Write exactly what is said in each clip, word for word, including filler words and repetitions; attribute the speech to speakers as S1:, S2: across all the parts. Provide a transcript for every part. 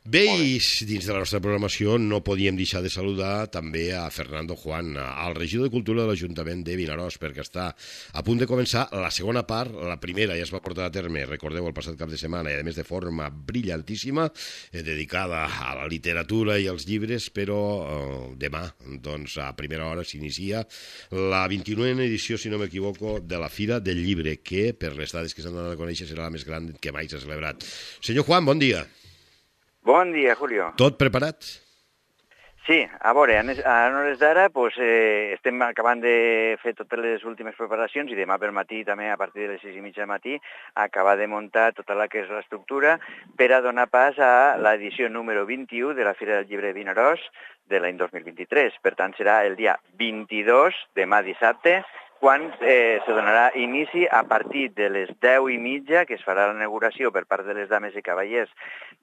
S1: Bé, i dins de la nostra programació no podíem deixar de saludar també a Fernando Juan, al regidor de Cultura de l'Ajuntament de Vinaròs, perquè està a punt de començar la segona part. La primera ja es va portar a terme, recordeu, el passat cap de setmana, i a més de forma brillantíssima, eh, dedicada a la literatura i als llibres, però eh, demà, doncs, a primera hora s'inicia la vint-i-novena edició, si no m'equivoco, de la Fira del Llibre, que, per les dades que s'han donat a conèixer, serà la més gran que mai s'ha celebrat. Senyor Juan, bon dia.
S2: Bon dia, Julio.
S1: Tot preparat?
S2: Sí, a veure, a hores d'ara pues, eh, estem acabant de fer totes les últimes preparacions i demà per matí, també a partir de les sis i mitja del matí, acabar de muntar tota la que és l'estructura per a donar pas a l'edició número vint-i-u de la Fira del Llibre de Vinaròs de l'any dos mil vint-i-tres. Per tant, serà el dia vint-i-dos, demà dissabte, quan eh, se donarà inici a partir de les deu i mitja, que es farà la inauguració per part de les dames i cavallers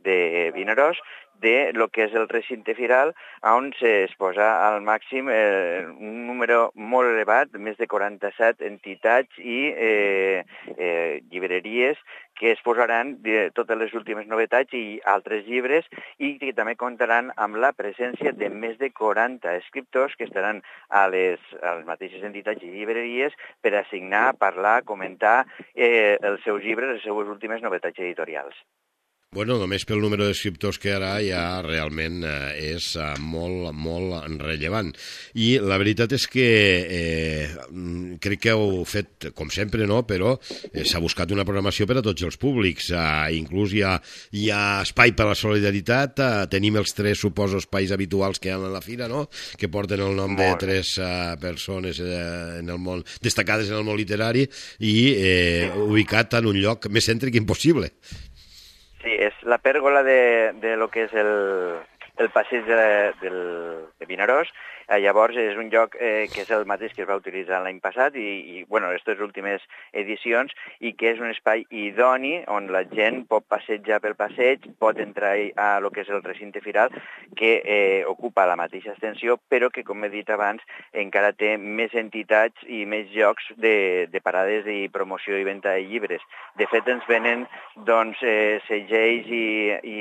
S2: de Vinaròs, de lo que és el recinte firal, on es posa al màxim eh, un número molt elevat, més de quaranta-set entitats i eh, eh, llibreries que es posaran de totes les últimes novetats i altres llibres, i que també comptaran amb la presència de més de quaranta escriptors que estaran a les, a les mateixes entitats i llibreries per a signar, parlar, comentar eh, els seus llibres, les seues últimes novetats editorials.
S1: Bueno, només pel número d'escriptors que ara ja realment eh, és eh, molt, molt rellevant. I la veritat és que eh, crec que heu fet, com sempre, no? Però eh, s'ha buscat una programació per a tots els públics. Eh, inclús hi ha, hi ha espai per a la solidaritat. Eh, tenim els tres, suposo, espais habituals que hi ha a la fira, no? Que porten el nom de tres eh, persones eh, en el món, destacades en el món literari i eh, ubicat en un lloc més cèntric impossible.
S2: Sí, és la pèrgola de, de lo que és el, el passeig de, del, de Vinaròs. Eh, llavors és un lloc eh, que és el mateix que es va utilitzar l'any passat i, i bueno, aquestes últimes edicions, i que és un espai idoni on la gent pot passejar pel passeig, pot entrar a lo que és el recinte firal, que eh, ocupa la mateixa extensió, però que, com he dit abans, encara té més entitats i més llocs de, de parades i promoció i venda de llibres. De fet, ens venen doncs, eh, segells i, i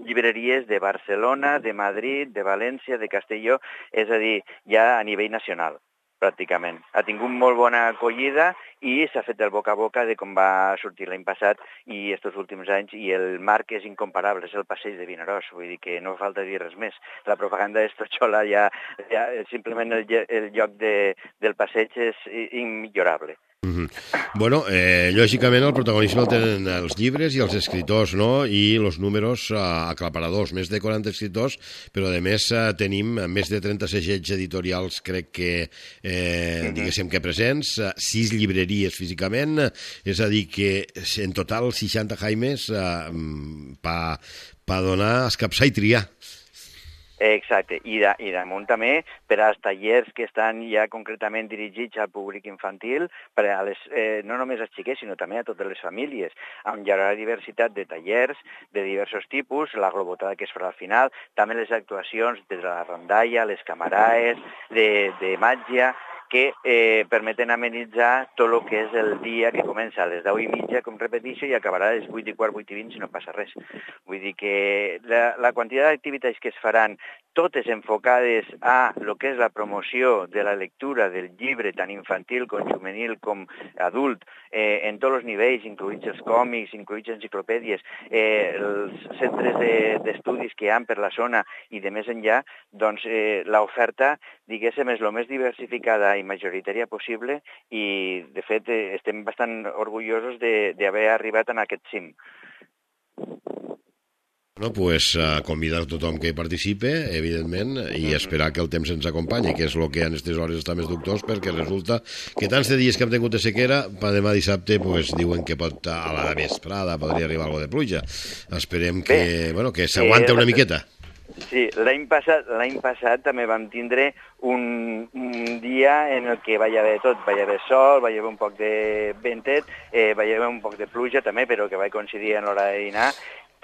S2: llibreries de Barcelona, de Madrid, de València, de Castelló, és a dir, ja a nivell nacional, pràcticament. Ha tingut molt bona acollida i s'ha fet el boca a boca de com va sortir l'any passat i estos últims anys, i el marc és incomparable, és el passeig de Vinaròs, vull dir que no falta dir res més. La propaganda d'Estotxola ja, ja simplement el, el lloc de, del passeig és immillorable.
S1: Mm-hmm. Bueno, eh, lògicament el protagonisme el tenen els llibres i els escriptors, no? I els números eh, aclaparadors, més de quaranta escriptors, però a més eh, tenim més de trenta segells editorials, crec que eh, mm-hmm. diguéssim que presents, eh, sis llibreries físicament, és a dir que en total seixanta jaimes eh, pa, pa donar, escapçar i triar.
S2: Exacte, I, de, i damunt també per als tallers que estan ja concretament dirigits al públic infantil, per a les, eh, no només als xiquets, sinó també a totes les famílies, on hi haurà diversitat de tallers de diversos tipus, la globotada que es farà al final, també les actuacions de la rondalla, les camaraes, de, de màgia, que eh, permeten amenitzar tot el que és el dia, que comença a les deu i mitja, com repeteixo, i acabarà a les vuit i quart, vuit i vint, si no passa res. Vull dir que la, la quantitat d'activitats que es faran, totes enfocades a lo que és la promoció de la lectura del llibre, tant infantil com juvenil com adult, eh, en tots els nivells, incluïts els còmics, incluïts enciclopèdies, eh, els centres d'estudis de, que hi ha per la zona i de més enllà, doncs eh, l'oferta, diguéssim, és el més diversificada i majoritària possible, i de fet eh, estem bastant orgullosos d'haver arribat en aquest cim.
S1: Bueno, pues uh, convidar a tothom que hi participe, evidentment, i esperar que el temps ens acompanyi, que és el que en aquestes hores està més dubtós, perquè resulta que tants de dies que hem tingut de sequera, per demà dissabte pues, diuen que pot a la vesprada podria arribar alguna de pluja. Esperem que, Bé, bueno, que s'aguanta eh, una miqueta.
S2: Sí, l'any passat, l'any passat també vam tindre un, un dia en el que va haver tot, va haver sol, va haver un poc de ventet, eh, va haver un poc de pluja també, però que va coincidir en l'hora de dinar,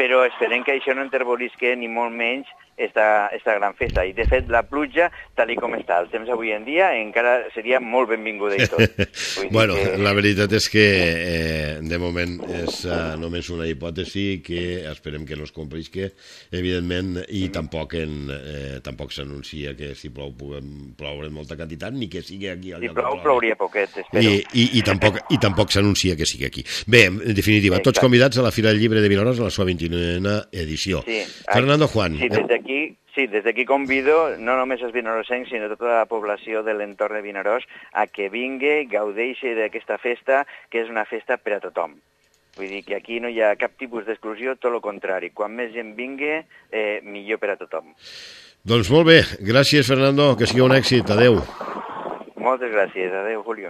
S2: però esperem que això no enterbolisque ni molt menys esta, esta gran festa. I, de fet, la pluja, tal i com està el temps avui en dia, encara seria molt benvinguda i tot.
S1: Bueno,
S2: que...
S1: la veritat és que eh, de moment és uh, només una hipòtesi que esperem que no es complisque, evidentment, i mm. tampoc, en, eh, tampoc s'anuncia que si plou puguem ploure en molta quantitat, ni que sigui aquí al
S2: si
S1: lloc
S2: plou,
S1: de
S2: plouria poquet, espero.
S1: I, i, i tampoc, i tampoc s'anuncia que sigui aquí. Bé, en definitiva, Exacte. Tots convidats a la Fira del Llibre de Vinaròs a la seva vint-i-novena edició.
S2: Sí.
S1: Fernando Juan.
S2: Sí, des d'aquí Sí, des d'aquí convido no només els vinarosencs, sinó tota la població de l'entorn de Vinaròs a que vingui, gaudeixi d'aquesta festa, que és una festa per a tothom. Vull dir que aquí no hi ha cap tipus d'exclusió, tot el contrari. Quan més gent vingui, eh, millor per a tothom.
S1: Doncs molt bé, gràcies Fernando, que sigui un èxit, adeu.
S2: Moltes gràcies, adeu Julio.